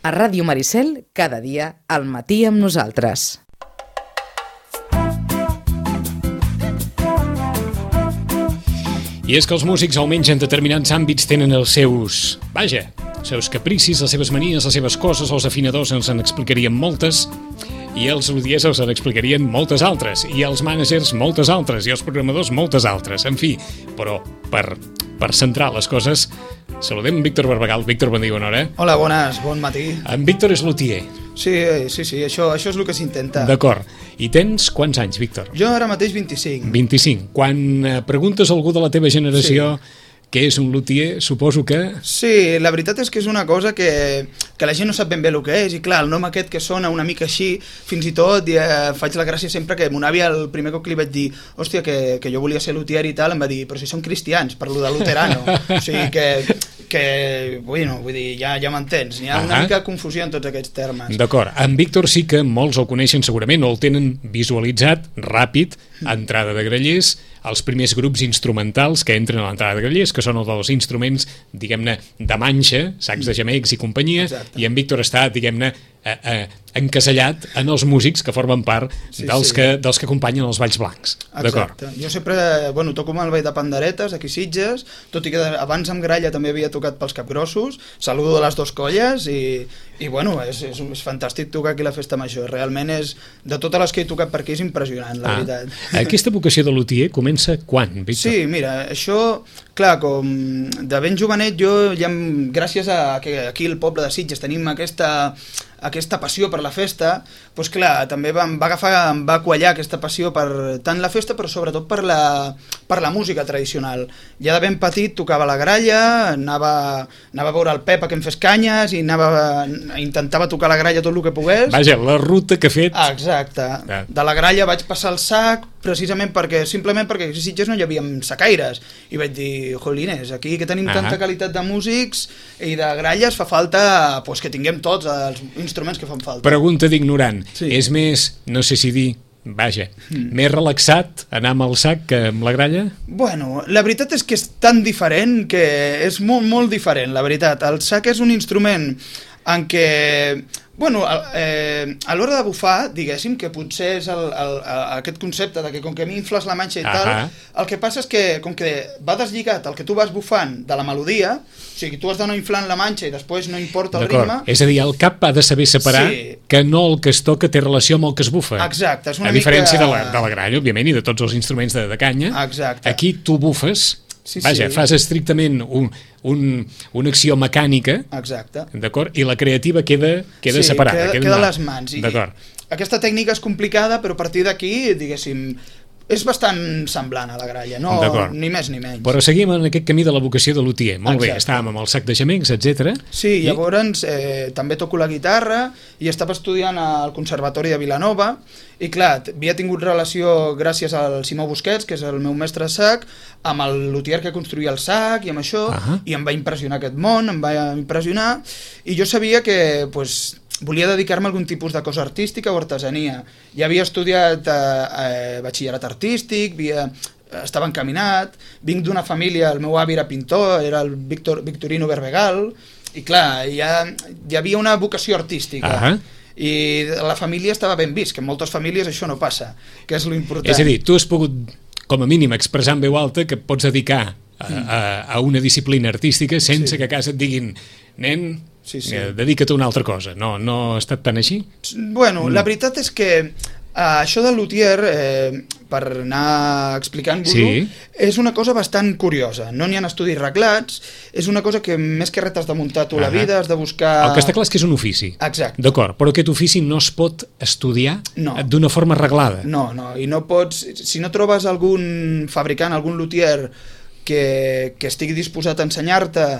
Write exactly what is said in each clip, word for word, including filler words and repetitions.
A Ràdio Maricel, cada dia, al matí amb nosaltres. I és que els músics, almenys en determinats àmbits, tenen els seus... Vaja, els seus capricis, les seves manies, les seves coses. Els afinadors ens en explicarien moltes, i els lutiers els en explicarien moltes altres, i els mànagers moltes altres, i els programadors moltes altres. En fi, però per, per centrar les coses, saludem Víctor Barbagal. Víctor, bon dia, bona hora. Hola, bones, bon matí. En Víctor és lutier. Sí, sí, sí, això, això és el que s'intenta. D'acord. I tens quants anys, Víctor? Jo ara mateix vint-i-cinc. vint-i-cinc. Quan eh, preguntes a algú de la teva generació... Sí. Què és un lutier, suposo que... Sí, la veritat és que és una cosa que, que la gent no sap ben bé el que és, i clar, el nom aquest que sona una mica així, fins i tot eh, faig la gràcia sempre que mon àvia, el primer cop que li vaig dir hòstia, que, que jo volia ser lutier i tal, em va dir, però si són cristians, per lo de luterano. O sigui que, que bueno, vull dir, ja, ja m'entens, hi ha una uh-huh. mica confusió en tots aquests termes. D'acord, en Víctor sí que molts el coneixen segurament, o el tenen visualitzat ràpid, entrada de grallers, els primers grups instrumentals que entren a l'entrada de grallers, que són els dels instruments, diguem-ne, de manxa, sacs de gemecs i companyia. Exacte. I en Víctor està, diguem-ne, eh, eh, encasellat en els músics que formen part sí, dels, sí. Que, dels que acompanyen els balls blancs. Exacte. Jo sempre, bueno, toco amb el ball de panderetes, aquí Sitges, tot i que abans amb gralla també havia tocat pels capgrossos, saludo de les dues colles i, i bueno, és, és, és fantàstic tocar aquí a la festa major. Realment és, de totes les que he tocat per aquí, és impressionant, la ah. veritat. Aquesta vocació de lutier comença quan, Víctor? Sí, mira, això, clar, com de ben jovenet jo, ja, gràcies a que aquí al poble de Sitges tenim aquesta aquesta passió per la festa, doncs clar, també va, em va agafar, em va quallar aquesta passió per tant la festa, però sobretot per la, per la música tradicional. Ja de ben petit tocava la gralla, anava, anava a veure el Pep a que em fes canyes i anava, intentava tocar la gralla tot el que pogués. Vaja, la ruta que ha fet... Ah, exacte. Ah. De la gralla vaig passar al sac, precisament perquè, simplement perquè a Sitges no hi havia sacaires. I vaig dir, jolines, aquí que tenim ah. tanta qualitat de músics i de gralles, fa falta pues, que tinguem tots els instruments que fan falta. Pregunta d'ignorant. Sí. És més, no sé si dir, vaja, mm. més relaxat anar amb el sac que amb la gralla? Bueno, la veritat és que és tan diferent que és molt, molt diferent, la veritat. El sac és un instrument en què... Bueno, eh, a l'hora de bufar, diguéssim, que potser és el, el, el, aquest concepte de que com que m'infles la manxa i uh-huh. tal, el que passa és que com que va deslligat el que tu vas bufant de la melodia, o sigui, tu has d'anar inflant la manxa i després no importa el ritme... És a dir, el cap ha de saber separar sí. que no el que es toca té relació amb el que es bufa. Exacte. És una a diferència mica... de, la, de la gralla, òbviament, i de tots els instruments de, de canya. Exacte. Aquí tu bufes... Sí, Vaja, sí. fas estrictament un, un, una acció mecànica. Exacte. D'acord? I la creativa queda, queda sí, separada. Queda, queda a les mans. D'acord. Aquesta tècnica és complicada, però a partir d'aquí, diguéssim, és bastant semblant a la gralla, no? Ni més ni menys. Però seguim en aquest camí de la vocació de lutier. Molt Exacte. Bé, estàvem amb el sac de gemecs, etcètera. Sí, I... llavors eh, també toco la guitarra i estava estudiant al Conservatori de Vilanova i clar, havia tingut relació gràcies al Simó Busquets, que és el meu mestre de sac, amb el lutier que construïa el sac i amb això, uh-huh. i em va impressionar aquest món, em va impressionar, i jo sabia que, pues, volia dedicar-me a algun tipus de cosa artística o artesania. Ja havia estudiat eh, eh, batxillerat artístic, havia, estava encaminat, vinc d'una família, el meu avi era pintor, era el Victor, Victorino Berbegal, i clar, ja, hi havia una vocació artística. Uh-huh. I la família estava ben vist, que en moltes famílies això no passa, que és lo important. És a dir, tu has pogut, com a mínim, expressar en veu alta que pots dedicar a, a, a una disciplina artística sense sí. que a casa et diguin, nen... Sí, sí. Eh, dedica't a una altra cosa. No, no ha estat tan així? Bueno, mm. la veritat és que eh, això del luthier, eh, per anar explicant-vos-ho, sí. és una cosa bastant curiosa. No n'hi ha estudis reglats, és una cosa que més que res t'has de muntar tu uh-huh. la vida, has de buscar... El que està clar és que és un ofici. Exacte. D'acord, però aquest ofici no es pot estudiar no. d'una forma reglada. No, no, i no pots... Si no trobes algun fabricant, algun luthier que, que estigui disposat a ensenyar-te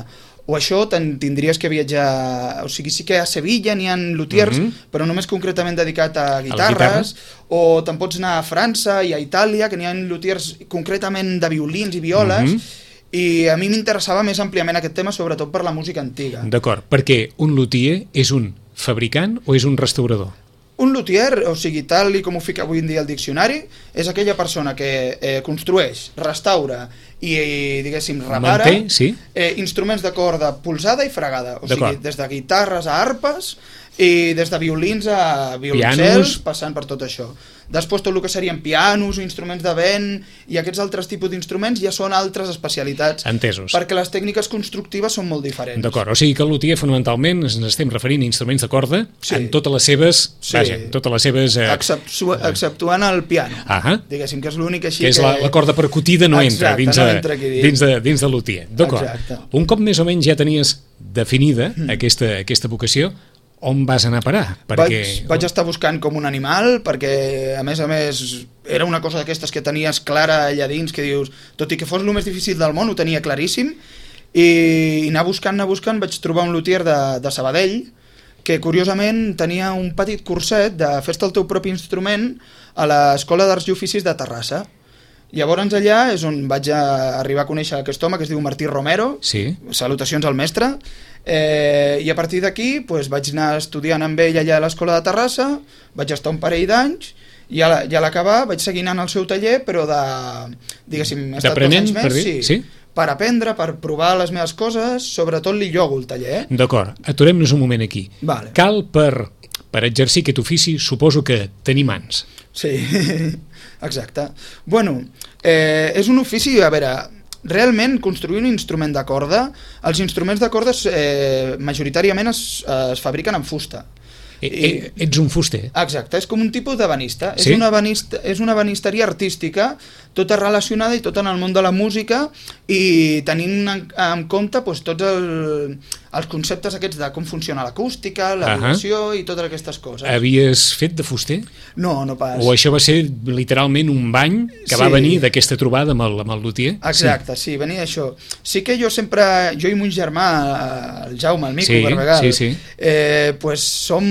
o això tindries que viatjar, o sigui, sí que a Sevilla n'hi ha luthiers, uh-huh. però només concretament dedicat a guitarres, a o te'n pots anar a França i a Itàlia, que n'hi ha luthiers concretament de violins i violes, uh-huh. i a mi m'interessava més àmpliament aquest tema, sobretot per la música antiga. D'acord, perquè un luthier és un fabricant o és un restaurador? Un luthier, o sigui, tal i com ho fica avui en dia el diccionari, és aquella persona que eh, construeix, restaura i, i diguéssim, repara Manté, sí. eh, instruments de corda polsada i fregada. O sigui, des de guitarres a arpes i des de violins a violoncels, passant per tot això. Després tot el que serien pianos, instruments de vent i aquests altres tipus d'instruments ja són altres especialitats. Entesos. Perquè les tècniques constructives són molt diferents. D'acord, o sigui que el luthier fonamentalment ens estem referint a instruments de corda sí. en totes les seves, sí. vaja, totes les seves... Eh... Exceptu exceptuant el piano, ah diguéssim, que és l'únic així que... és que... la, la corda percutida no Exacte, entra dins, no a, entra dins, de, dins de luthier. D'acord. Un cop més o menys ja tenies definida mm. aquesta, aquesta vocació, on vas anar a parar? Perquè... Vaig, vaig estar buscant com un animal, perquè a més a més era una cosa d'aquestes que tenies clara allà dins, que dius, tot i que fos el més difícil del món, ho tenia claríssim, i, i anar buscant, anar buscant, vaig trobar un luthier de, de Sabadell, que curiosament tenia un petit curset de fes-te el teu propi instrument a l'Escola d'Arts i Oficis de Terrassa. Llavors allà és on vaig a arribar a conèixer aquest home que es diu Martí Romero, sí. Salutacions al mestre, eh, i a partir d'aquí pues, vaig anar estudiant amb ell allà a l'Escola de Terrassa, vaig estar un parell d'anys, i a l'acabar vaig seguir anant al seu taller, però de, diguéssim, he estat dos anys més, per, sí, sí? per aprendre, per provar les meves coses, sobretot li llogo el taller. Eh? D'acord, aturem-nos un moment aquí. Vale. Cal per, per exercir aquest ofici, suposo que tenir mans. Sí, exacte. Bueno, eh, és un ofici, a veure, realment construir un instrument de corda, els instruments de corda eh, majoritàriament es, es fabriquen en fusta. I, I, ets un fuster. Exacte, és com un tipus d'ebenista. Sí? És una ebenista, és una ebenisteria artística, tota relacionada i tota en el món de la música i tenint en, en compte doncs, tots el, els conceptes aquests de com funciona l'acústica, la vibració uh -huh. i totes aquestes coses. Havies fet de fuster? No, no pas. O això va ser literalment un bany que sí. va venir d'aquesta trobada amb el, amb el luthier? Exacte, sí. sí, venia d'això. Sí que jo sempre, jo i mon germà, el Jaume, el Mico, sí, Barbegal, sí, sí. Eh, pues som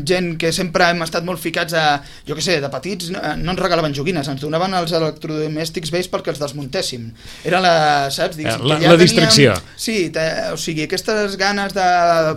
gent que sempre hem estat molt ficats a, jo què sé, de petits no, no ens regalaven joguines, ens donaven els electrodomèstics vells perquè els desmuntéssim. Era la, saps? Digues, la, ja la distracció. Teníem, sí, te, o sigui, aquestes ganes de,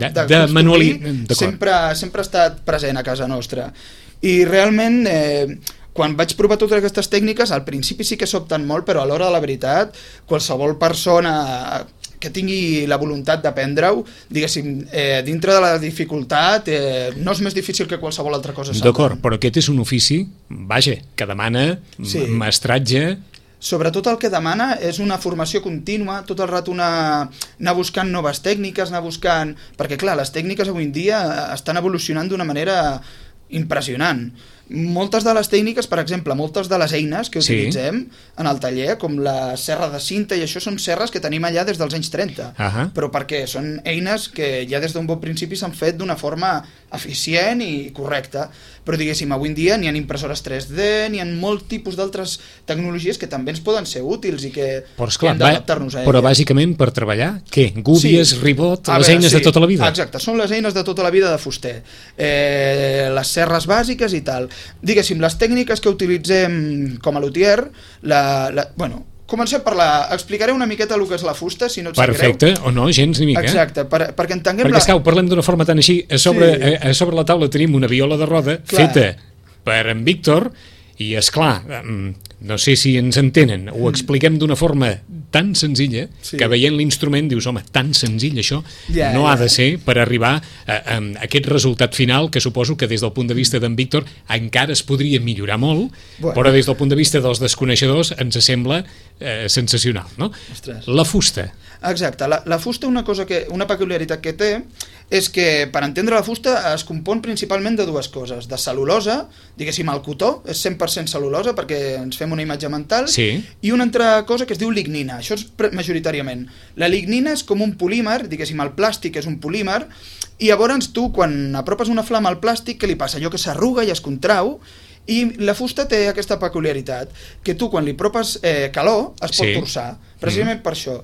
de, de, de manualitat sempre, sempre ha estat present a casa nostra. I realment, eh, quan vaig provar totes aquestes tècniques, al principi sí que sobten molt, però a l'hora de la veritat, qualsevol persona que tingui la voluntat d'aprendre-ho, diguéssim, eh, dintre de la dificultat, eh, no és més difícil que qualsevol altra cosa. D'acord, però aquest és un ofici, vaja, que demana sí. mestratge. Sobretot el que demana és una formació contínua, tot el rato anar, anar buscant noves tècniques, anar buscant... Perquè, clar, les tècniques avui en dia estan evolucionant d'una manera impressionant. Moltes de les tècniques, per exemple, moltes de les eines que utilitzem sí. en el taller, com la serra de cinta i això, són serres que tenim allà des dels anys trenta. Uh -huh. Però per què? Són eines que ja des d'un bon principi s'han fet d'una forma eficient i correcta. Però, diguéssim, avui en dia n'hi ha impressores tres D, n'hi ha molt tipus d'altres tecnologies que també ens poden ser útils i que, però, esclar, que hem d'adaptar-nos a elles. Però, bàsicament, per treballar, què? Gúbies, sí. ribot, a les veure, eines sí. de tota la vida? Exacte, són les eines de tota la vida de fuster. Eh, les serres bàsiques i tal. Diguéssim, les tècniques que utilitzem com a luthier, la, la, bueno, comencem per la... Explicaré una miqueta el que és la fusta, si no et sap greu. Perfecte, o no, gens ni mica. Exacte, per, perquè entenguem... Perquè, la... esclar, parlem d'una forma tan així, a sobre, sí. a, a sobre la taula tenim una viola de roda clar. feta per en Víctor, i, esclar, no sé si ens entenen, ho expliquem d'una forma tan senzilla sí. que veient l'instrument dius, home, tan senzill això yeah, no yeah. ha de ser per arribar a, a, a aquest resultat final que suposo que des del punt de vista d'en Víctor encara es podria millorar molt, bueno. però des del punt de vista dels desconeixedors ens sembla eh, sensacional, no? Ostres. La fusta. Exacte, la, la fusta una cosa que, una peculiaritat que té és que per entendre la fusta es compon principalment de dues coses, de cel·lulosa, diguéssim el cotó, és cent per cent cel·lulosa perquè ens fem una imatge mental, sí. i una altra cosa que es diu lignina, això és majoritàriament. La lignina és com un polímer, diguéssim el plàstic és un polímer, i llavors tu quan apropes una flama al plàstic, què li passa? Allò que s'arruga i es contrau, i la fusta té aquesta peculiaritat, que tu quan li apropes eh, calor es pot sí. torçar, precisament mm. per això.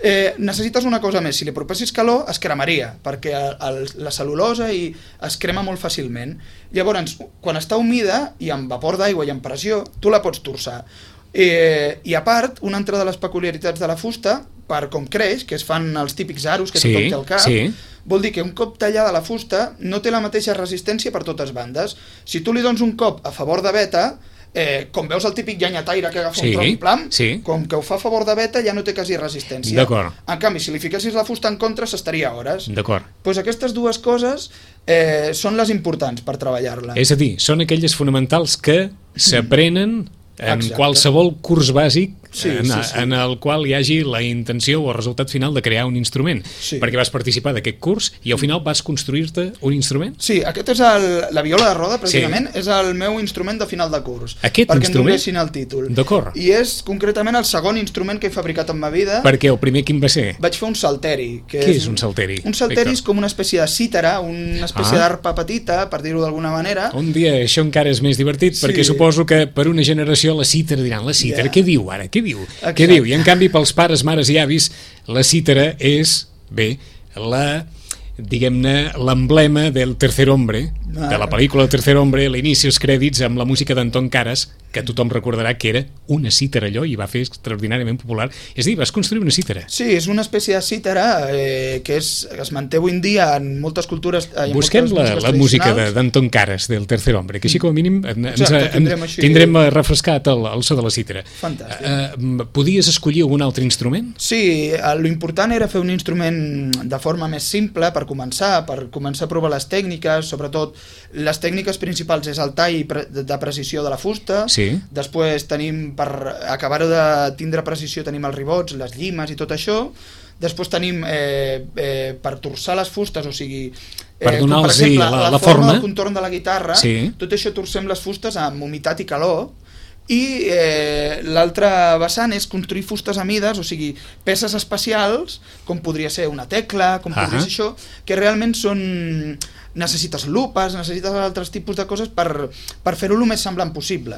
Eh, necessites una cosa més, si li apropessis calor es cremaria, perquè el, la cel·lulosa i es crema molt fàcilment. Llavors, quan està humida i amb vapor d'aigua i amb pressió, tu la pots torçar. Eh, I a part, una altra de les peculiaritats de la fusta, per com creix, que es fan els típics aros que sí, tothom té al cap, sí. vol dir que un cop tallada la fusta no té la mateixa resistència per totes bandes. Si tu li dones un cop a favor de beta, Eh, com veus el típic llenyataire que agafa sí, un tronc plam, sí. com que ho fa a favor de beta ja no té quasi resistència. D'acord. En canvi, si li fiquessis la fusta en contra s'estaria hores. D'acord. Pues aquestes dues coses eh, són les importants per treballar-la. És a dir, són aquelles fonamentals que s'aprenen en Exacte. qualsevol curs bàsic sí, en, sí, sí. en el qual hi hagi la intenció o el resultat final de crear un instrument, sí. perquè vas participar d'aquest curs i al final vas construir-te un instrument? Sí, aquest és el, la viola de roda, precisament, sí. és el meu instrument de final de curs. Aquest perquè instrument? Perquè em donessin el títol. D'acord. I és concretament el segon instrument que he fabricat en ma vida. Perquè el primer quin va ser? Vaig fer un salteri. Que Què és, és un salteri? Un salteri és com una espècie de cítara, una espècie ah. d'arpa petita, per dir-ho d'alguna manera. Un dia això encara és més divertit, sí. perquè suposo que per una generació la cítara diran, la cítara, yeah. què diu ara? Què diu? Exacte. Què diu? I en canvi pels pares, mares i avis, la cítara és, bé, la, diguem-ne, l'emblema del Tercer Hombre, ah. de la pel·lícula El Tercer Hombre, l'inici, els crèdits amb la música d'Anton Caras, que tothom recordarà que era una cítara allò i va fer extraordinàriament popular. És a dir, vas construir una cítara. Sí, és una espècie de cítara eh, que és, es manté avui en dia en moltes cultures. Eh, Busquem la, la música d'Anton Caras, del Tercer Hombre, que així com a mínim ens, Exacte, tindrem, així... tindrem refrescat el, el so de la cítara. Fantàstic. Eh, podies escollir algun altre instrument? Sí, lo important era fer un instrument de forma més simple per començar, per començar a provar les tècniques, sobretot les tècniques principals és el tall de precisió de la fusta, sí. Després tenim, per acabar-ho de tindre precisió, tenim els ribots, les llimes i tot això. Després tenim eh, eh, per torçar les fustes, o sigui, eh, per donar-los per exemple, la, la, la forma, forma, el contorn de la guitarra, sí. tot això torcem les fustes amb humitat i calor. I eh, l'altre vessant és construir fustes a mides, o sigui, peces especials, com podria ser una tecla, com ah podria ser això, que realment són... necessites lupes, necessites altres tipus de coses per, per fer-ho el més semblant possible.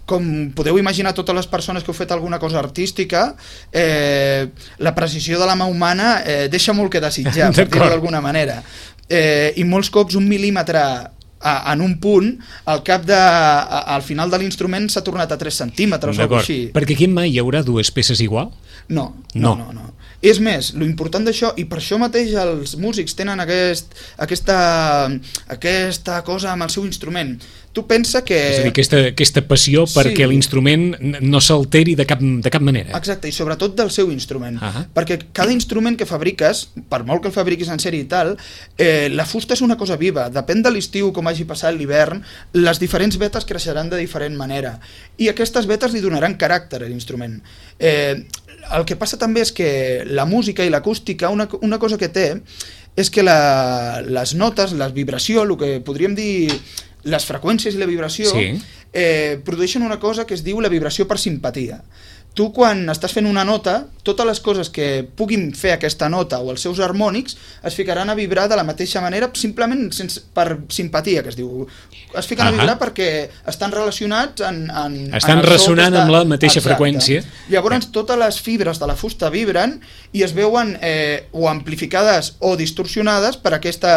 Com podeu imaginar, totes les persones que heu fet alguna cosa artística, eh, la precisió de la mà humana eh, deixa molt que desitjar, per dir-ho d'alguna manera. Eh, I molts cops un mil·límetre a, en un punt, al cap de, a, al final de l'instrument s'ha tornat a tres centímetres o així. Perquè aquí mai hi haurà dues peces igual? No, no, no, no. És més, lo important d'això, i per això mateix els músics tenen aquest, aquesta, aquesta cosa amb el seu instrument. Tu pensa que... És a dir, aquesta, aquesta passió perquè sí. l'instrument no s'alteri de cap, de cap manera. Exacte, i sobretot del seu instrument. Uh-huh. Perquè cada instrument que fabriques, per molt que el fabriquis en sèrie i tal, eh, la fusta és una cosa viva. Depèn de l'estiu, com hagi passat l'hivern, les diferents vetes creixeran de diferent manera. I aquestes vetes li donaran caràcter a l'instrument. Eh, el que passa també és que la música i l'acústica, una, una cosa que té, és que la, les notes, la vibració, el que podríem dir... les freqüències i la vibració sí. eh, produeixen una cosa que es diu la vibració per simpatia. Tu quan estàs fent una nota, totes les coses que puguin fer aquesta nota o els seus harmònics es ficaran a vibrar de la mateixa manera simplement sense, per simpatia, que es diu. Es fiquen uh-huh. a vibrar perquè estan relacionats en, en, estan en ressonant està... amb la mateixa Exacte. freqüència. Llavors totes les fibres de la fusta vibren i es veuen eh, o amplificades o distorsionades per aquesta,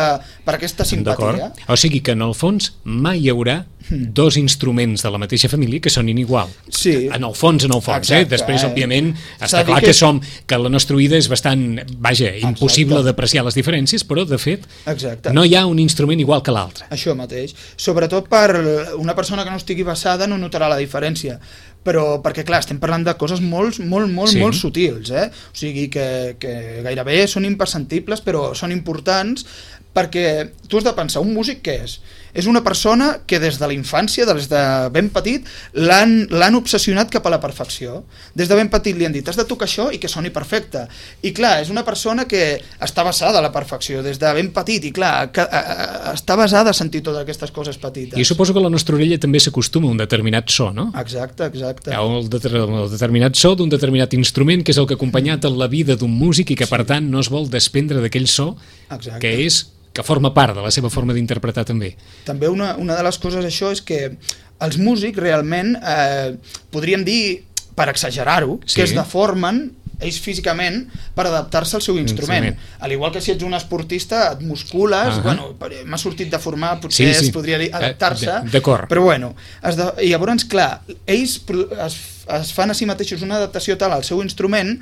per aquesta simpatia. O sigui que en el fons mai hi haurà dos instruments de la mateixa família que sonin igual. Sí. En el fons, en el fons. Exacte, eh? Després, eh? òbviament, està clar que, que som que la nostra oïda és bastant, vaja, impossible d'apreciar les diferències, però, de fet, Exacte. no hi ha un instrument igual que l'altre. Això mateix. Sobretot per una persona que no estigui basada no notarà la diferència. Però perquè, clar, estem parlant de coses molt, molt, molt, sí. molt sutils, eh? O sigui que, que gairebé són imperceptibles, però són importants perquè tu has de pensar, un músic què és? És una persona que des de la infància, des de ben petit, l'han obsessionat cap a la perfecció. Des de ben petit li han dit, has de tocar això i que soni perfecte. I clar, és una persona que està basada a la perfecció des de ben petit i clar, que, a, a, està basada a sentir totes aquestes coses petites. I suposo que la nostra orella també s'acostuma a un determinat so, no? Exacte, exacte. Hi ha el, de, el determinat so d'un determinat instrument que és el que ha acompanyat en la vida d'un músic i que per tant no es vol desprendre d'aquell so Exacte. que és que forma part de la seva forma d'interpretar també. També una, una de les coses això és que els músics realment eh, podríem dir, per exagerar-ho, sí. que es deformen ells físicament per adaptar-se al seu instrument. instrument. Al igual que si ets un esportista et muscules, uh-huh. bueno, m'ha sortit de formar, potser sí, sí. es podria dir adaptar-se, d'acord. Però bueno, es de... i llavors, clar, ells es, es fan a si mateixos una adaptació tal al seu instrument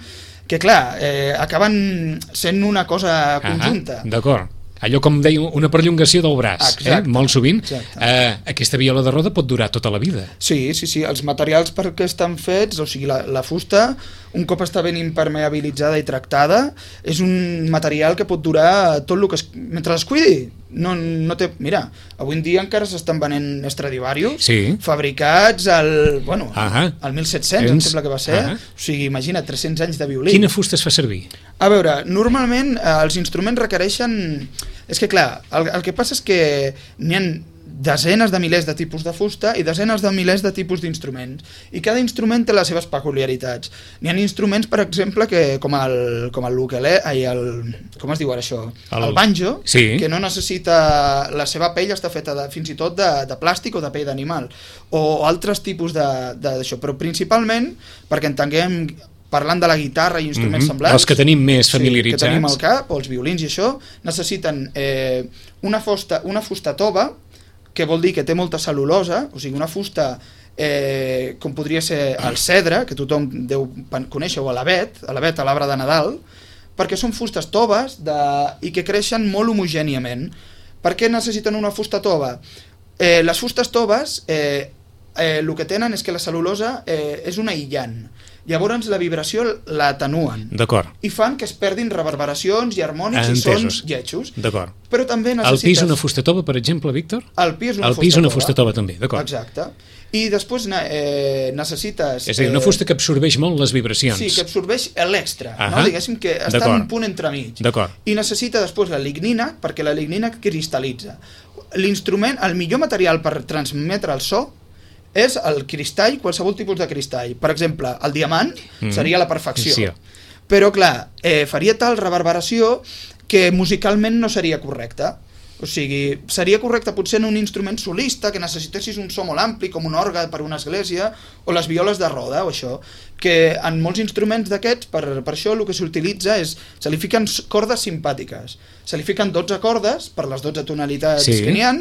que clar, eh, acaben sent una cosa conjunta. Ah, d'acord. Allò, com deia, una perllongació del braç, eh? Molt sovint. Eh, aquesta viola de roda pot durar tota la vida. Sí, sí, sí. Els materials per què estan fets, o sigui, la, la fusta, un cop està ben impermeabilitzada i tractada, és un material que pot durar tot el que es, mentre es cuidi. No, no té... Mira, avui en dia encara s'estan venent Stradivarius, sí, fabricats al, bueno, ah, al mil set-cents, em sembla que va ser. Ah, o sigui, imagina, tres-cents anys de violí. Quina fusta es fa servir? A veure, normalment eh, els instruments requereixen... És que clar, el, el que passa és que n'hi ha desenes de milers de tipus de fusta i desenes de milers de tipus d'instruments. I cada instrument té les seves peculiaritats. N'hi ha instruments, per exemple, que com el, com el ukelele, ai, el, com es diu ara això? El, el banjo, sí, que no necessita... La seva pell està feta de, fins i tot de, de plàstic o de pell d'animal. O altres tipus d'això. Però principalment, perquè entenguem... Parlant de la guitarra i instruments mm-hmm. semblants, els que tenim més familiaritzats, sí, que tenim al cap, o els violins i això, necessiten eh, una, fusta, una fusta tova, que vol dir que té molta cel·lulosa, o sigui, una fusta eh, com podria ser el cedre, que tothom deu conèixer, o l'avet, l'avet a l'arbre de Nadal, perquè són fustes toves de, i que creixen molt homogèniament. Per què necessiten una fusta tova? Eh, les fustes toves, eh, eh, el que tenen és que la cel·lulosa eh, és un aïllant. Llavors la vibració l'atenuen i fan que es perdin reverberacions i harmònics i sons lletjos. Però també necessites... El pi és una fusta tova, per exemple, Víctor? El pi és una, el pi és una fusta tova també, d'acord. Exacte. I després eh, necessites... És a dir, una fusta que absorbeix molt les vibracions. Sí, que absorbeix l'extra, no? Diguéssim que està en un punt entremig. I necessita després la lignina, perquè la lignina cristal·litza. L'instrument, el millor material per transmetre el so és el cristall, qualsevol tipus de cristall. Per exemple, el diamant mm. seria la perfecció. Sí. Però, clar, eh, faria tal reverberació que musicalment no seria correcte. O sigui, seria correcte potser en un instrument solista que necessitessis un so molt ampli, com un orgue per una església, o les violes de roda, o això. Que en molts instruments d'aquests, per, per això el que s'utilitza és... Se li fiquen cordes simpàtiques. Se li fiquen dotze cordes, per les dotze tonalitats sí. que n'hi ha,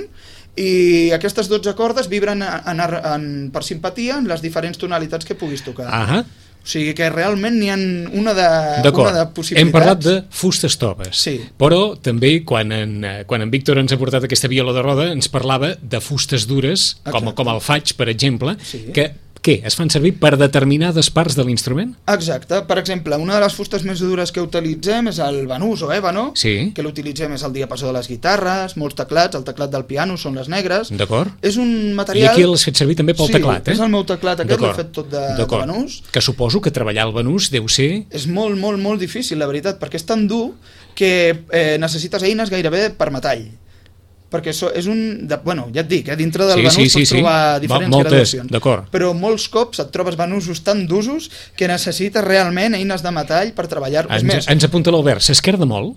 i aquestes dotze cordes vibren en, en, en, per simpatia en les diferents tonalitats que puguis tocar. Ahà. O sigui que realment n'hi ha una de, una de possibilitats. Hem parlat de fustes toves, sí. Però també quan en, quan en Víctor ens ha portat aquesta viola de roda ens parlava de fustes dures, com, com el faig, per exemple, sí. que què? Es fan servir per determinades parts de l'instrument? Exacte. Per exemple, una de les fustes més dures que utilitzem és el banús o ébano, sí. que l'utilitzem és el diapasó de les guitarres, molts teclats, el teclat del piano són les negres. D'acord. És un material... I aquí l'has fet servir també pel sí, teclat, eh? Sí, és el meu teclat, aquest l'he fet tot de, de banús. Que suposo que treballar el banús deu ser... És molt, molt, molt difícil, la veritat, perquè és tan dur que eh, necessites eines gairebé per metall. Perquè so, és un... De, bueno, ja et dic, eh, dintre del sí, banús sí, sí, pots trobar sí. diferents Moltes, graduacions. Però molts cops et trobes banusos tan d'usos que necessites realment eines de metall per treballar. Ens, més. ens apunta l'Albert, s'esquerda molt?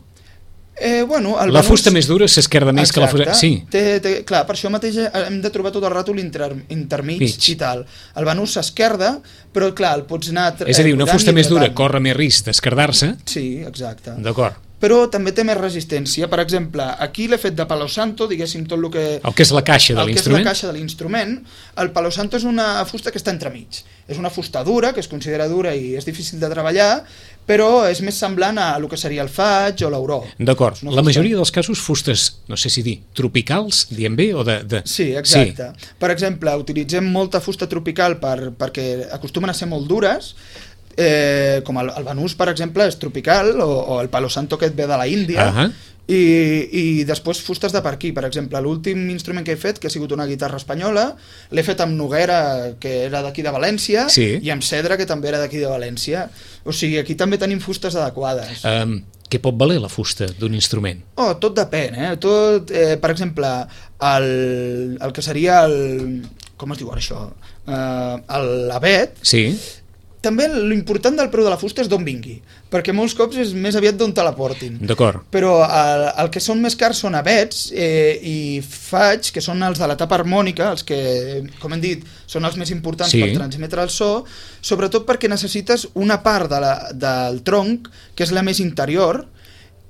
Eh, bueno, el la banús... fusta més dura s'esquerda més Exacte. que la fusta... Sí. Té, té, clar, per això mateix hem de trobar tot el rato l'inter, intermig Mig. i tal. El banús s'esquerda, però clar, el pots anar... És a dir, una fusta més dura corre més risc d'esquerdar-se. Sí, exacte. D'acord. Però també té més resistència. Per exemple, aquí l'he fet de palo santo, diguéssim tot el que... El que és la caixa de l'instrument. El que és la caixa de l'instrument. El palo santo és una fusta que està entremig. És una fusta dura, que es considera dura i és difícil de treballar, però és més semblant a el que seria el faig o l'auró. D'acord. La majoria dels casos, fustes, no sé si dir, tropicals, diem bé, o de... de... Sí, exacte. Sí. Per exemple, utilitzem molta fusta tropical per, perquè acostumen a ser molt dures, Eh, com el, el banús, per exemple, és tropical, o, o el palo santo que et ve de la Índia, uh -huh. i, i després fustes de per aquí. Per exemple, l'últim instrument que he fet, que ha sigut una guitarra espanyola, l'he fet amb noguera, que era d'aquí de València, sí. i amb cedre, que també era d'aquí de València. O sigui, aquí també tenim fustes adequades. Um, què pot valer la fusta d'un instrument? Oh, tot depèn, eh? Tot, eh, per exemple, el, el que seria el... Com es diu ara això? Uh, l'avet, sí. També l'important del preu de la fusta és d'on vingui, perquè molts cops és més aviat d'on te la portin. D'acord. Però el, el que són més cars són avets eh, i faig, que són els de la tapa harmònica, els que, com hem dit, són els més importants sí. per transmetre el so, sobretot perquè necessites una part de la, del tronc, que és la més interior,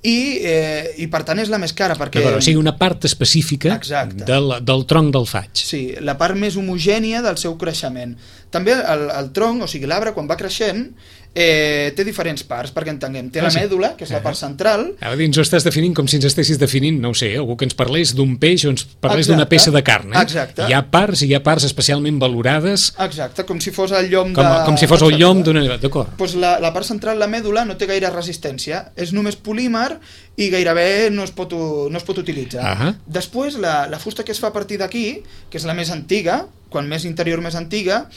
i, eh, i per tant és la més cara perquè... O sigui, una part específica del, del tronc del faig. Sí, la part més homogènia del seu creixement. També el, el tronc, o sigui l'arbre, quan va creixent, eh, té diferents parts, perquè entenguem. Té ah, la sí. mèdula, que és la part central. Ara dins ho estàs definint com si ens estessis definint, no ho sé, algú que ens parlés d'un peix o ens parlés d'una peça de carn. Eh? Exacte. Hi ha parts i hi ha parts especialment valorades. Exacte, com si fos el llom com, de... Com si fos el llom d'una... D'acord. Pues la, la part central, la mèdula, no té gaire resistència. És només polímer i gairebé no es pot, no es pot utilitzar. Uh -huh. Després, la, la fusta que es fa a partir d'aquí, que és la més antiga, quan més interior més antiga,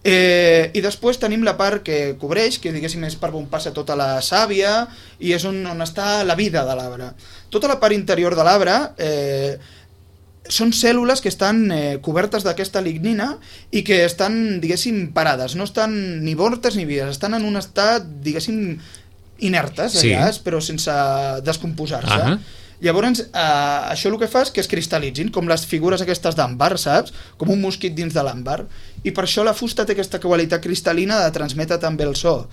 eh, i després tenim la part que cobreix, que diguéssim és per on passa tota la sàvia i és on, on està la vida de l'arbre. Tota la part interior de l'arbre eh, són cèl·lules que estan eh, cobertes d'aquesta lignina i que estan, diguéssim, parades, no estan ni mortes ni vives, estan en un estat, diguéssim, inertes, sí. allà, però sense descomposar-se. Uh -huh. Llavors, eh, això el que fa és que es cristal·litzin, com les figures aquestes d'àmbar, saps? Com un mosquit dins de l'àmbar. I per això la fusta té aquesta qualitat cristal·lina de transmetre també el so.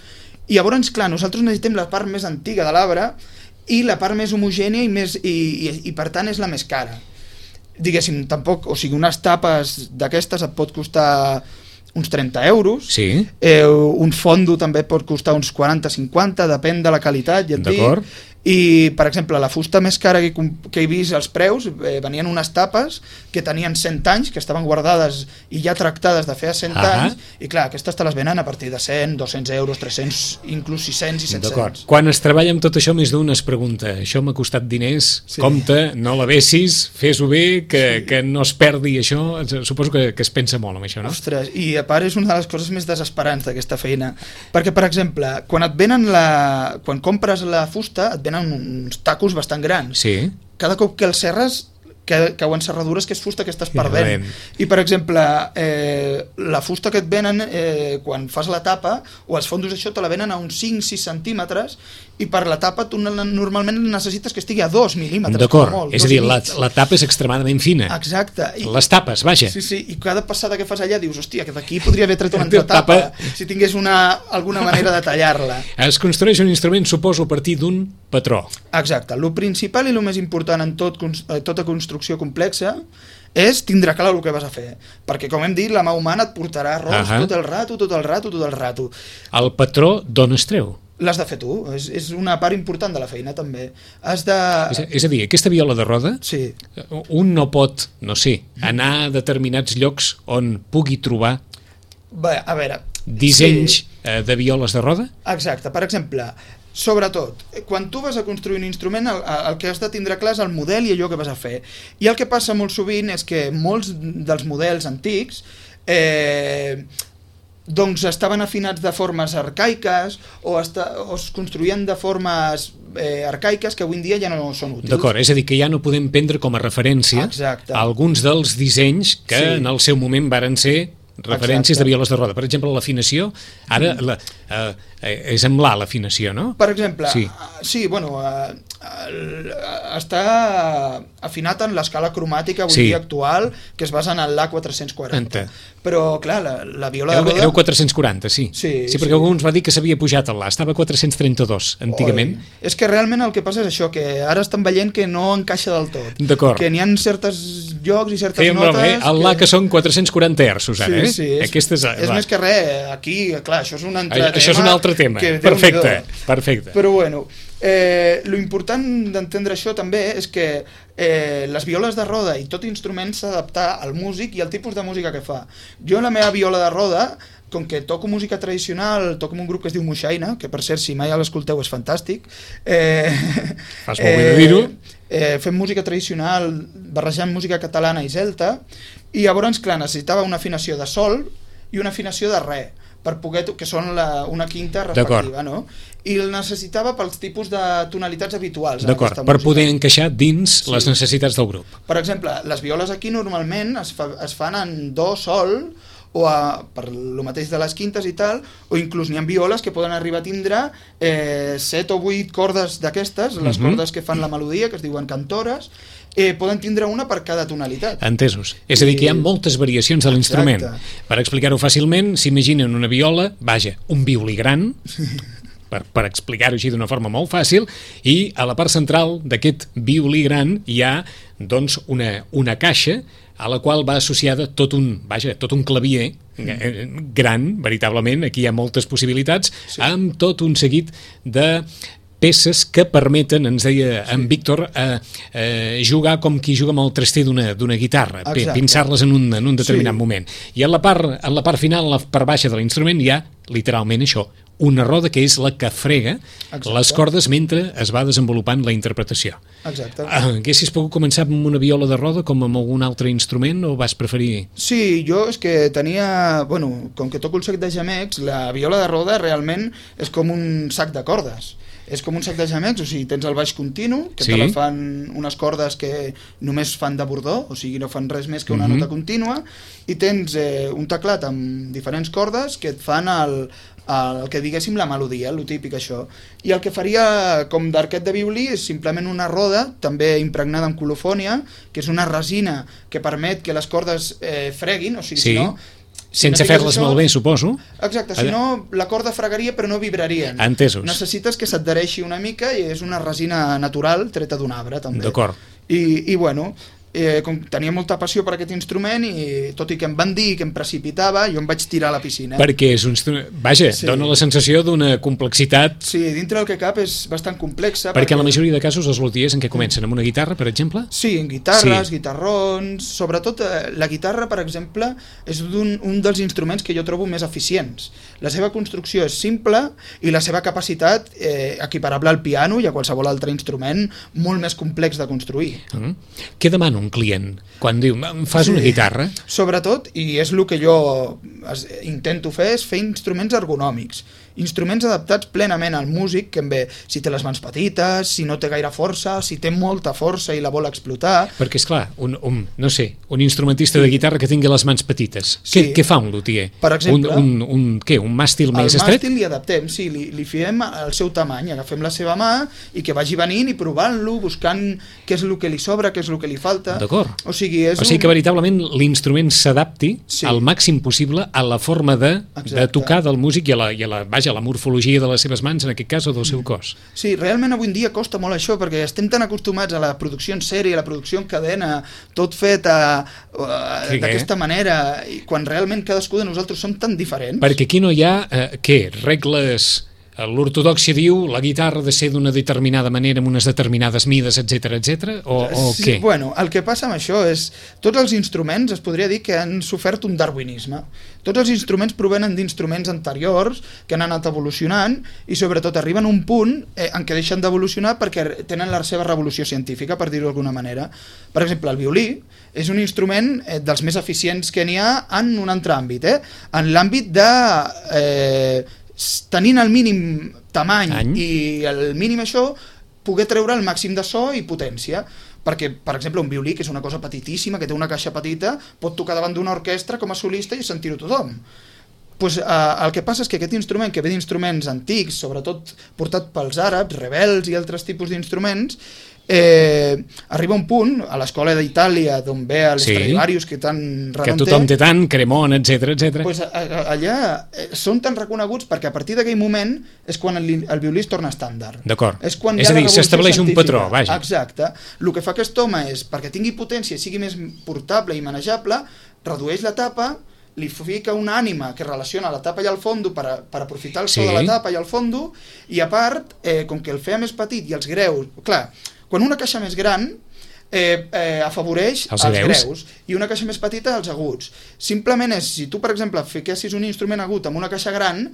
I llavors, clar, nosaltres necessitem la part més antiga de l'arbre i la part més homogènia i, més, i, i, i per tant és la més cara. Diguéssim, tampoc, o sigui, unes tapes d'aquestes et pot costar uns trenta euros, sí. eh, un fondo també pot costar uns quaranta cinquanta, depèn de la qualitat, ja et dic. I, per exemple, la fusta més cara que, que he vist als preus, eh, venien unes tapes que tenien cent anys, que estaven guardades i ja tractades de fer a cent ah. anys, i clar, aquestes te les venen a partir de cent, dos-cents euros, tres-cents, inclús sis-cents i set-cents. Quan es treballa amb tot això, més d'un es pregunta, això m'ha costat diners, sí. compte, no la vessis, fes-ho bé, que, sí. que no es perdi això, suposo que, que es pensa molt amb això, no? Ostres, i a part és una de les coses més desesperants d'aquesta feina, perquè, per exemple, quan et venen la... quan compres la fusta, et venen uns tacos bastant grans. Sí. Cada cop que els serres que cauen serradures que és fusta que estàs perdent. I, per exemple, eh, la fusta que et venen eh, quan fas la tapa, o els fondos això te la venen a uns cinc sis centímetres, i per la tapa tu normalment necessites que estigui a dos mil·límetres. D'acord, és a dir, la, la tapa és extremadament fina. Exacte. I, les tapes, vaja. Sí, sí, i cada passada que fas allà dius, hòstia, que d'aquí podria haver tret una altra tapa, tapa si tingués una, alguna manera de tallar-la. Es construeix un instrument, suposo, a partir d'un patró. Exacte. El principal i el més important en tot, tota construcció complexa és tindre clar el que vas a fer, perquè, com hem dit, la mà humana et portarà errors uh -huh. tot el rato, tot el rato, tot el rato. El patró d'on es treu? L'has de fer tu, és, és una part important de la feina també. Has de... És, és a dir, aquesta viola de roda, sí. un no pot, no sé, anar a determinats llocs on pugui trobar Bé, a veure, dissenys sí. eh, de violes de roda? Exacte, per exemple, sobretot, quan tu vas a construir un instrument, el, el que has de tindre clar és el model i allò que vas a fer. I el que passa molt sovint és que molts dels models antics eh, doncs estaven afinats de formes arcaiques o, esta, o es construïen de formes eh, arcaiques que avui en dia ja no són útils. D'acord, és a dir, que ja no podem prendre com a referència Exacte. alguns dels dissenys que sí. en el seu moment varen ser referències Exacte. de violes de roda. Per exemple, l'afinació, ara la, eh, és amb l'A l'afinació, no? Per exemple, sí, sí bueno, eh, està afinat en l'escala cromàtica avui sí. dia actual, que es basa en l'A quatre-cents quaranta. Ente. Però, clar, la, la viola de roda... Era quatre-cents quaranta, sí. Sí, sí perquè sí. algú ens va dir que s'havia pujat a l'A, estava a quatre-cents trenta-dos, antigament. Oi. És que realment el que passa és això, que ara estan veient que no encaixa del tot. D'acord. Que n'hi ha certs llocs i certes Fèiem notes... Bé, el l'A que... que són quatre-cents quaranta hertzos, ara, sí, eh? Sí, és, Aquesta és, és més que res, aquí, clar, això és un altre això tema... Això és un altre tema, perfecte, perfecte. Però bueno, eh, lo important d'entendre això també és que eh, les violes de roda i tot instrument s'ha d'adaptar al músic i al tipus de música que fa. Jo la meva viola de roda, com que toco música tradicional, toco amb un grup que es diu Moixaina, que per cert, si mai l'escolteu és fantàstic. Eh, Fas molt bé de dir-ho. Eh, fem música tradicional barrejant música catalana i celta, i llavors, clar, necessitava una afinació de sol i una afinació de re, per poder, que són la, una quinta respectiva, no? I el necessitava pels tipus de tonalitats habituals. D'acord, per música. Poder encaixar dins sí. les necessitats del grup. Per exemple, les violes aquí normalment es, fa, es fan en do, sol, o a, per lo mateix de les quintes i tal, o inclús n'hi ha violes que poden arribar a tindre eh, set o vuit cordes d'aquestes, les uh-huh. cordes que fan la melodia, que es diuen cantores, eh, poden tindre una per cada tonalitat. Entesos. És a dir, que hi ha moltes variacions de l'instrument. Per explicar-ho fàcilment, s'imaginen una viola, vaja, un violí gran, per, per explicar-ho així d'una forma molt fàcil, i a la part central d'aquest violí gran hi ha doncs, una, una caixa a la qual va associada tot un, vaja, tot un clavier mm. gran, veritablement, aquí hi ha moltes possibilitats, sí. amb tot un seguit de peces que permeten, ens deia sí. en Víctor, eh, eh, jugar com qui juga amb el traster d'una d'una guitarra, pinçar-les en, un, en un determinat sí. moment. I en la, part, en la part final, en la part baixa de l'instrument, hi ha literalment això, una roda que és la que frega Exacte. les cordes mentre es va desenvolupant la interpretació. Exacte. Uh, haguessis pogut començar amb una viola de roda com amb algun altre instrument o vas preferir? Sí, jo és que tenia... Bueno, com que toco el sac de gemecs, la viola de roda realment és com un sac de cordes. És com un sac de gemecs, o sigui, tens el baix continu, que sí. te la fan unes cordes que només fan de bordó, o sigui, no fan res més que una uh-huh. nota contínua, i tens eh, un teclat amb diferents cordes que et fan el, el que diguéssim la melodia, el típic això. I el que faria com d'arquet de violí és simplement una roda, també impregnada amb colofònia, que és una resina que permet que les cordes eh, freguin, o sigui, sí. si no... Si sense no fer-les malbé, suposo. Exacte, si no la corda fregaria però no vibrarien. Entesos. Necessites que s'adhereixi una mica i és una resina natural treta d'un arbre també. D'acord. I, i bueno, eh, com tenia molta passió per aquest instrument i tot i que em van dir que em precipitava, jo em vaig tirar a la piscina. Perquè és un instrument... Vaja, sí. dona la sensació d'una complexitat... Sí, dintre del que cap és bastant complexa. Perquè, perquè... en la majoria de casos els luthiers en què comencen? Amb una guitarra, per exemple? Sí, en guitarres, sí. guitarrons... Sobretot eh, la guitarra, per exemple, és un, un dels instruments que jo trobo més eficients. La seva construcció és simple i la seva capacitat eh, equiparable al piano i a qualsevol altre instrument molt més complex de construir. Mm. Què demana un client quan diu, em fas sí. una guitarra? Sobretot, i és el que jo intento fer, és fer instruments ergonòmics. Instruments adaptats plenament al músic, que bé, si té les mans petites, si no té gaire força, si té molta força i la vol explotar... Perquè, esclar, un, un, no sé, un instrumentista de guitarra que tingui les mans petites, sí. què, què fa un luthier? Per exemple... Un, un, un, què, un màstil més estret? El màstil li adaptem, sí, li, li fiem el seu tamany, agafem la seva mà i que vagi venint i provant-lo, buscant què és el que li sobra, què és el que li falta... D'acord. O sigui, és o sigui un... que veritablement l'instrument s'adapti sí. al màxim possible a la forma de, de tocar del músic i a la, i a la, vaja, a la morfologia de les seves mans, en aquest cas, o del seu cos. Sí, realment avui en dia costa molt això, perquè estem tan acostumats a la producció en sèrie, a la producció en cadena, tot fet d'aquesta manera, i quan realment cadascú de nosaltres som tan diferents. Perquè aquí no hi ha, eh, què, regles... L'ortodòxia diu la guitarra ha de ser d'una determinada manera, amb unes determinades mides, etcètera, etcètera, o, o sí, què? Bueno, el que passa amb això és tots els instruments es podria dir que han sofert un darwinisme. Tots els instruments provenen d'instruments anteriors que han anat evolucionant i sobretot arriben a un punt eh, en què deixen d'evolucionar perquè tenen la seva revolució científica, per dir-ho d'alguna manera. Per exemple, el violí és un instrument eh, dels més eficients que n'hi ha en un altre àmbit, eh? En l'àmbit de... Eh, tenint el mínim tamany Any. i el mínim això, poder treure el màxim de so i potència. Perquè, per exemple, un violí, que és una cosa petitíssima, que té una caixa petita, pot tocar davant d'una orquestra com a solista i sentir-ho tothom. Pues, eh, el que passa és que aquest instrument, que ve d'instruments antics, sobretot portat pels àrabs, rebels i altres tipus d'instruments, Eh, arriba un punt a l'escola d'Itàlia d'on ve l'Stradivarius, sí, que tant renom que tothom té tant, Cremon, etcètera, etcètera. Pues allà eh, són tan reconeguts perquè a partir d'aquell moment és quan el, el violí es torna estàndard. D'acord, és, quan és a dir, s'estableix un patró, vaja. Exacte, el que fa aquest home és, perquè tingui potència i sigui més portable i manejable, redueix la tapa, li fica una ànima que relaciona la tapa i el fondo per, a, per aprofitar el so sí. de la tapa i el fondo, i a part, eh, com que el feia més petit i els greus, clar, quan una caixa més gran eh, eh, afavoreix els, els greus. greus i una caixa més petita els aguts. Simplement és, si tu per exemple fiquessis un instrument agut amb una caixa gran,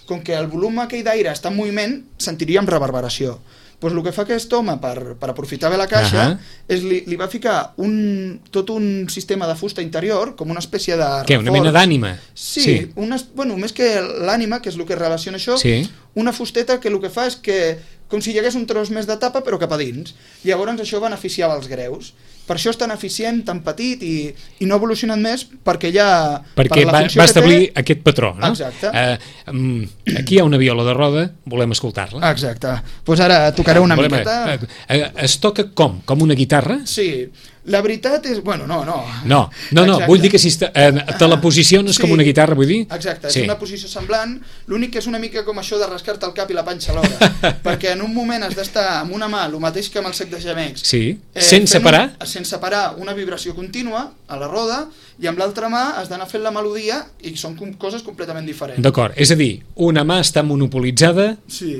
com que el volum aquell d'aire està en moviment, sentiríem reverberació. Pues el que fa aquest home per, per aprofitar bé la caixa uh -huh. és li, li va ficar un, tot un sistema de fusta interior, com una espècie de reforç. Què, una mena d'ànima? Sí, sí. Una, bueno, més que l'ànima, que és el que relaciona això, sí. una fusteta que el que fa és que com si hi hagués un tros més de tapa però cap a dins. Llavors això beneficiava els greus. Per això és tan eficient, tan petit i, i no ha evolucionat més perquè ja... Perquè per va, va establir té... aquest patró, no? Exacte. Uh, um, aquí hi ha una viola de roda, volem escoltar-la. Exacte. Doncs pues ara tocaré una volem, miqueta. Uh, uh, es toca com? Com una guitarra? Sí. La veritat és... Bueno, no, no. No, no, no vull dir que si te, eh, te la posiciones sí, com una guitarra, vull dir? Exacte, és sí. una posició semblant, l'únic que és una mica com això de rascar-te el cap i la panxa alhora, perquè en un moment has d'estar amb una mà, el mateix que amb el sec de gemecs, sí. eh, sense parar? Un, sense parar una vibració contínua a la roda, i amb l'altra mà has d'anar fent la melodia, i són com coses completament diferents. D'acord, és a dir, una mà està monopolitzada sí,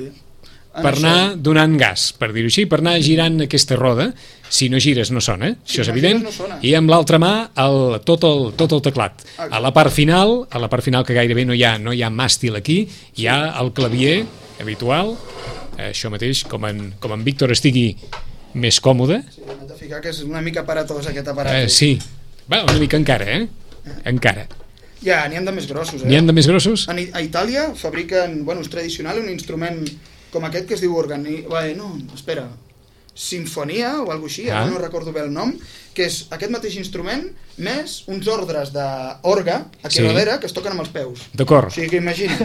per això. Anar donant gas, per dir-ho així, per anar girant aquesta roda. Si no gires no sona, si això és no evident, no i amb l'altra mà el, tot, el, tot el teclat. Exacte. A la part final, a la part final que gairebé no hi ha, no hi ha màstil aquí, hi ha el clavier habitual, això mateix, com en, com en Víctor estigui més còmode. Sí, hem de ficar que és una mica paratós aquest aparat. Eh, sí, va, una mica encara, eh? Encara. Ja, n'hi ha de més grossos, eh? N'hi ha de més grossos? A, a Itàlia fabriquen, bueno, és tradicional, un instrument com aquest que es diu organi... Bé, no, espera... Sinfonia o alguna així, ah. no recordo bé el nom, que és aquest mateix instrument més uns ordres d'orga aquí sí. darrere que es toquen amb els peus. D'acord. O sigui que imagina,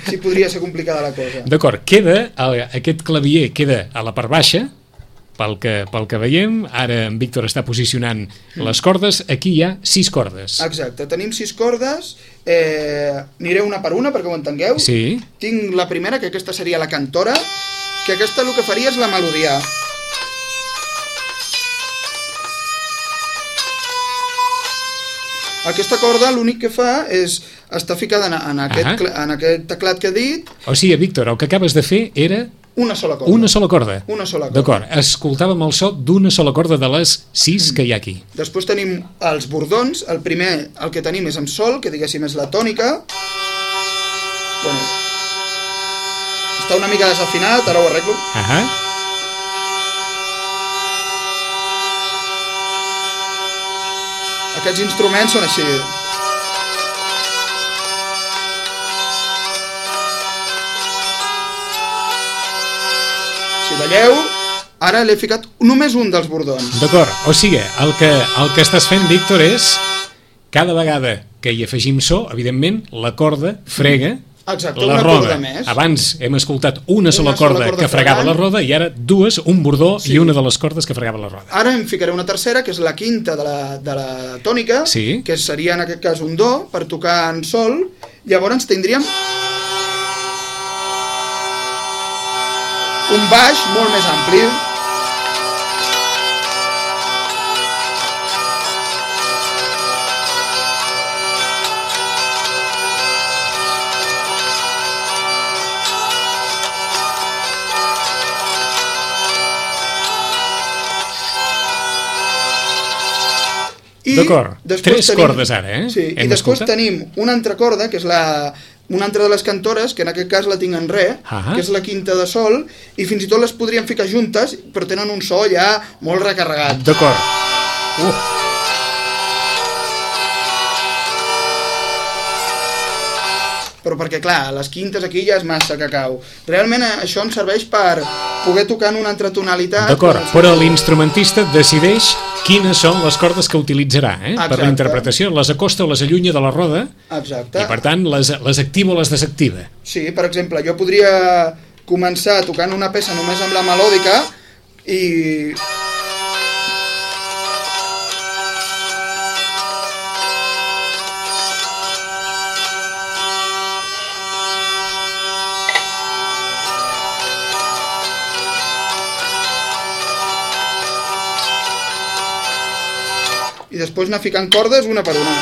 si podria ser complicada la cosa. D'acord, queda, aquest clavier queda a la part baixa, pel que, pel que veiem, ara en Víctor està posicionant mm. les cordes, aquí hi ha sis cordes. Exacte, tenim sis cordes, eh, aniré una per una perquè ho entengueu. Sí. Tinc la primera, que aquesta seria la cantora, que aquesta el que faria és la melodia. Aquesta corda l'únic que fa és estar ficada en, en, aquest, en aquest teclat que he dit. O sigui, Víctor, el que acabes de fer era... Una sola corda. Una sola corda. Una sola corda. D'acord, escoltàvem el so d'una sola corda de les sis que hi ha aquí. Després tenim els bordons. El primer, el que tenim és amb sol, que diguéssim és la tònica. Bueno, està una mica desafinat, ara ho arreglo. Ahà. Aquests instruments són així. Si veieu, ara l'he ficat només un dels bordons. D'acord, o sigui, el que, el que estàs fent, Víctor, és cada vegada que hi afegim so, evidentment, la corda frega Exacte, la una roda. corda més. Abans hem escoltat una sola, una corda, sola corda que fregava fregant. La roda i ara dues, un bordó sí. i una de les cordes que fregava la roda. Ara em ficaré una tercera, que és la quinta de la, de la tònica, sí. que seria en aquest cas un do, per tocar en sol. Llavors tindríem un baix molt més ampli. D'acord, tres tenim, cordes ara, eh? Sí, i després escoltat? Tenim una altra corda, que és la, una altra de les cantores, que en aquest cas la tinc en re, ah que és la quinta de sol, i fins i tot les podríem ficar juntes, però tenen un so ja molt recarregat. D'acord. Uh. Però perquè, clar, les quintes aquí ja és massa cacau. Realment això em serveix per poder tocar en una altra tonalitat. D'acord, però l'instrumentista decideix quines són les cordes que utilitzarà, eh? Per la interpretació, les acosta o les allunya de la roda. Exacte. I per tant les, les activa o les desactiva. Sí, per exemple, jo podria començar tocant una peça només amb la melòdica i... i després anar ficant cordes una per una.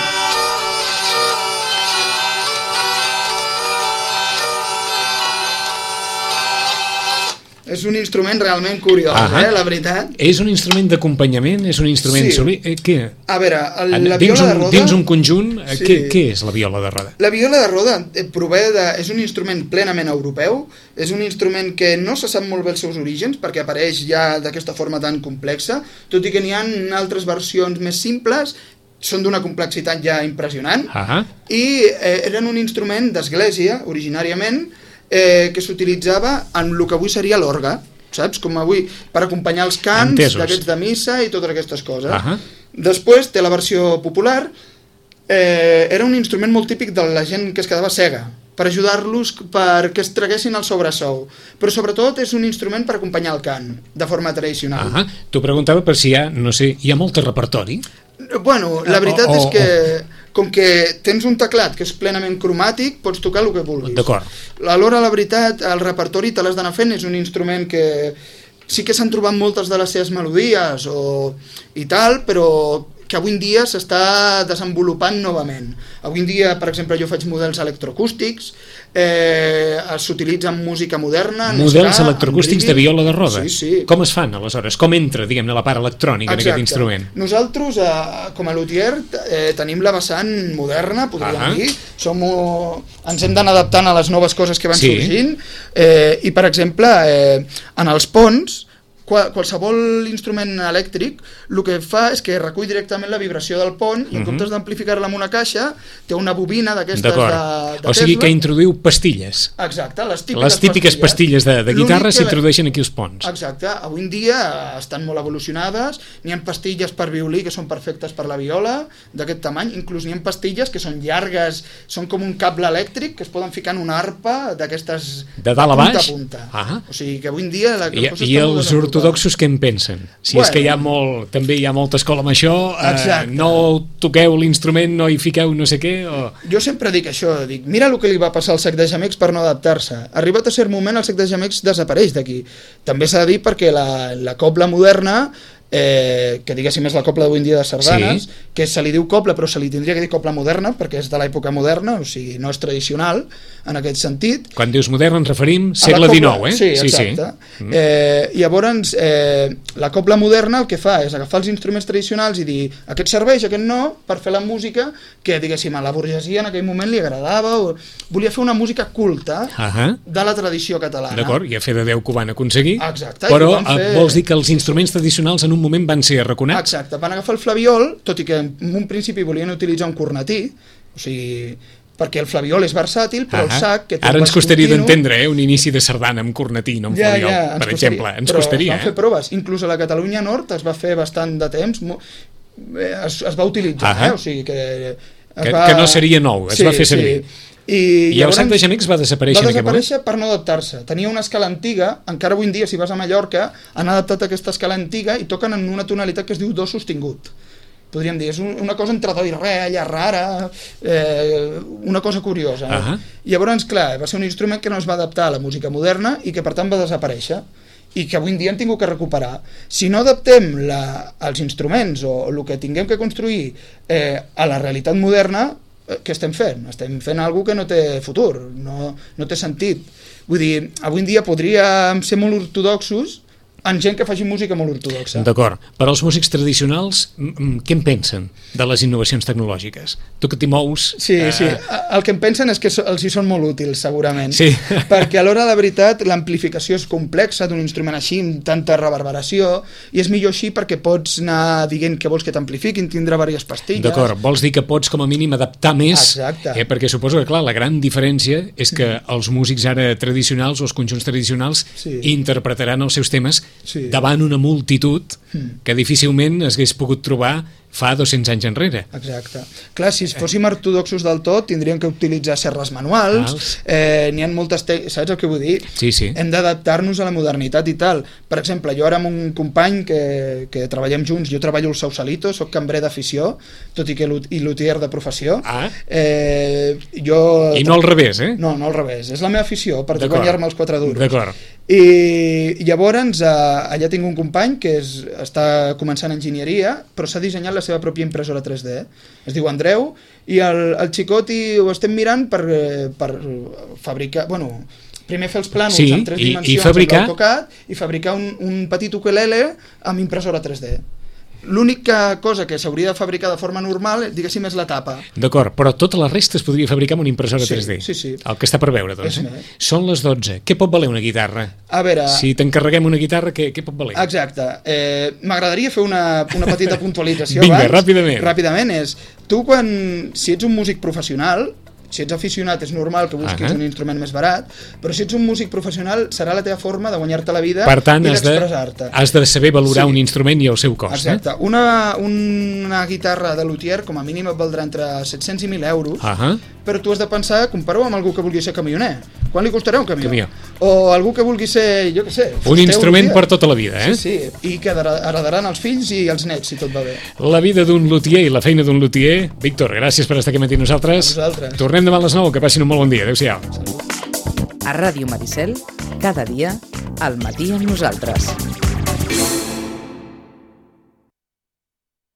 És un instrument realment curiós, eh, la veritat. És un instrument d'acompanyament? És un instrument sí. soli... Eh, què? A veure, el, la dins viola un, de roda... Dins un conjunt, sí. què, què és la viola de roda? La viola de roda prové de... és un instrument plenament europeu, és un instrument que no se sap molt bé els seus orígens, perquè apareix ja d'aquesta forma tan complexa, tot i que n'hi ha altres versions més simples, són d'una complexitat ja impressionant, ah. i eh, eren un instrument d'església, originàriament, Eh, que s'utilitzava en el que avui seria l'orgue, saps? Com avui, per acompanyar els cants d'aquests de missa i totes aquestes coses. Uh-huh. Després té la versió popular, eh, era un instrument molt típic de la gent que es quedava cega, per ajudar-los perquè es traguessin el sobresou. Però sobretot és un instrument per acompanyar el cant, de forma tradicional. Ah, t'ho preguntava per si hi ha, no sé, hi ha molt repertori? Bueno, la veritat o, o, és que com que tens un teclat que és plenament cromàtic, pots tocar el que vulguis. D'acord. Alhora, la veritat, el repertori te l'has d'anar fent, és un instrument que sí que s'han trobat moltes de les seves melodies o, i tal, però que avui en dia s'està desenvolupant novament. Avui en dia, per exemple, jo faig models electroacústics, eh, s'utilitzen música moderna... Models ska, electroacústics de viola de roda? Sí, sí. Com es fan, aleshores? Com entra, diguem-ne, la part electrònica en aquest instrument? Nosaltres, eh, com a luthier, eh, tenim la vessant moderna, podríem ah dir. Som, ens hem d'anar adaptant a les noves coses que van sí. sorgint, eh, i, per exemple, eh, en els ponts, qualsevol instrument elèctric el que fa és que recull directament la vibració del pont i en comptes d'amplificar-la amb una caixa té una bobina d'aquestes de, de o sigui Tesla. Que introduïu pastilles. Exacte, les típiques, les típiques pastilles, pastilles de, de guitarra s'introdueixen aquí als ponts. Exacte, avui en dia estan molt evolucionades, n'hi ha pastilles per violí que són perfectes per la viola d'aquest tamany, inclús n'hi ha pastilles que són llargues, són com un cable elèctric que es poden ficar en una arpa d'aquestes de dalt a baix? Punta a punta. Ah. O sigui que avui en dia la, I, i els ortodoxos què en pensen? Si bueno, és que hi ha molt, també hi ha molta escola amb això, eh, no toqueu l'instrument, no hi fiqueu no sé què o... Jo sempre dic això, dic, mira el que li va passar al Sec de Gemecs per no adaptar-se. Arribat a cert moment el Sec de Gemecs desapareix d'aquí. També s'ha de dir perquè la, la cobla moderna, eh, que diguéssim és la cobla d'avui en dia de sardanes, sí. que se li diu cobla però se li tindria que dir cobla moderna perquè és de l'època moderna, o sigui, no és tradicional en aquest sentit. Quan dius moderna ens referim segle dinou, eh? Sí, exacte. Sí, sí. Eh, llavors, eh, la cobla moderna el que fa és agafar els instruments tradicionals i dir aquest serveix, aquest no, per fer la música que, diguéssim, a la burgesia en aquell moment li agradava, o volia fer una música culta uh -huh. de la tradició catalana. D'acord, i a fer de Déu que ho van aconseguir. Exacte. Però fer... vols dir que els instruments tradicionals en un moment van ser arraconats? Exacte, van agafar el flabiol, tot i que en un principi volien utilitzar un cornetí, o sigui, perquè el flabiol és versàtil, però uh -huh. el sac... Que ara ens costaria continu... d'entendre, eh, un inici de sardana amb cornetí, no amb ja, flabiol, ja, per costaria. exemple. Ens però costaria, es van fer proves, inclús a la Catalunya Nord es va fer bastant de temps, es, es va utilitzar, uh -huh. eh? O sigui que... Que, va... que no seria nou, es sí, va fer servir. Sí. I, I el Sec de Gemecs va desaparèixer va en aquest moment? Va desaparèixer per no adaptar-se. Tenia una escala antiga, encara avui en dia si vas a Mallorca han adaptat aquesta escala antiga i toquen en una tonalitat que es diu do sostingut. Podríem dir, és una cosa entre do i re, allà rara, eh, una cosa curiosa. Eh? Uh -huh. Llavors, clar, va ser un instrument que no es va adaptar a la música moderna i que per tant va desaparèixer i que avui en dia hem tingut que recuperar. Si no adaptem la, els instruments o el que tinguem que construir eh, a la realitat moderna, què estem fent? Estem fent alguna que no té futur, no, no té sentit. Vull dir, avui en dia podríem ser molt ortodoxos en gent que faci música molt ortodoxa. D'acord. Per als músics tradicionals, què en pensen de les innovacions tecnològiques? Tu que t'hi mous... Sí, eh... sí. El que en pensen és que els hi són molt útils, segurament. Sí. Perquè a l'hora de veritat l'amplificació és complexa d'un instrument així, amb tanta reverberació, i és millor així perquè pots anar dient que vols que t'amplifiquin, tindrà diverses pastilles... D'acord. Vols dir que pots com a mínim adaptar més... Exacte. Eh, perquè suposo que, clar, la gran diferència és que els músics ara tradicionals o els conjunts tradicionals sí. interpretaran els seus temes sí. davant una multitud que difícilment es hagués pogut trobar fa dos-cents anys enrere. Exacte. Clar, si fóssim ortodoxos del tot, tindríem que utilitzar serres manuals, eh, n'hi ha moltes... Saps el que vull dir? Sí, sí. Hem d'adaptar-nos a la modernitat i tal. Per exemple, jo ara amb un company que, que treballem junts, jo treballo al Sausalito, soc cambrer d'afició, tot i que i luthier de professió. Ah. Eh, jo... I no al revés, eh? No, no al revés. És la meva afició, per guanyar-me els quatre duros. D'acord. I llavors eh, allà tinc un company que és, està començant enginyeria, però s'ha dissenyat la seva pròpia impressora tres D. Es diu Andreu, i el, el xicot i ho estem mirant per, per fabricar... Bueno, primer fer els plànols sí, en tres i, dimensions i fabricar... amb l'AutoCAD i fabricar un, un petit ukelele amb impressora tres D. L'única cosa que s'hauria de fabricar de forma normal, diguéssim, és la tapa. D'acord, però tota la resta es podria fabricar amb una impressora sí, tres D. Sí, sí. El que està per veure, doncs. Eh? Són les dotze. Què pot valer una guitarra? A veure... Si t'encarreguem una guitarra, què, què pot valer? Exacte. Eh, M'agradaria fer una, una petita puntualització Vinga, abans. ràpidament. Ràpidament és, tu quan, si ets un músic professional, Si ets aficionat és normal que busquis uh -huh. un instrument més barat, però si ets un músic professional serà la teva forma de guanyar-te la vida per tant, i d'expressar-te. Has de saber valorar sí. un instrument i el seu cost. Exacte. Eh? Una, una guitarra de luthier com a mínim et valdrà entre set-cents i mil euros, uh -huh. però tu has de pensar, compara-ho amb algú que vulgui ser camioner. Quan li costarà un camió? Camió. O algú que vulgui ser, jo què sé... Un instrument per tota la vida, eh? Sí, sí, i que heredaran els fills i els nets, si tot va bé. La vida d'un luthier i la feina d'un luthier. Víctor, gràcies per estar aquí matí amb nosaltres. A vosaltres. Tornem demà a les nou, que passin un molt bon dia. Adéu-siau. A Ràdio Maricel, cada dia, al matí amb nosaltres.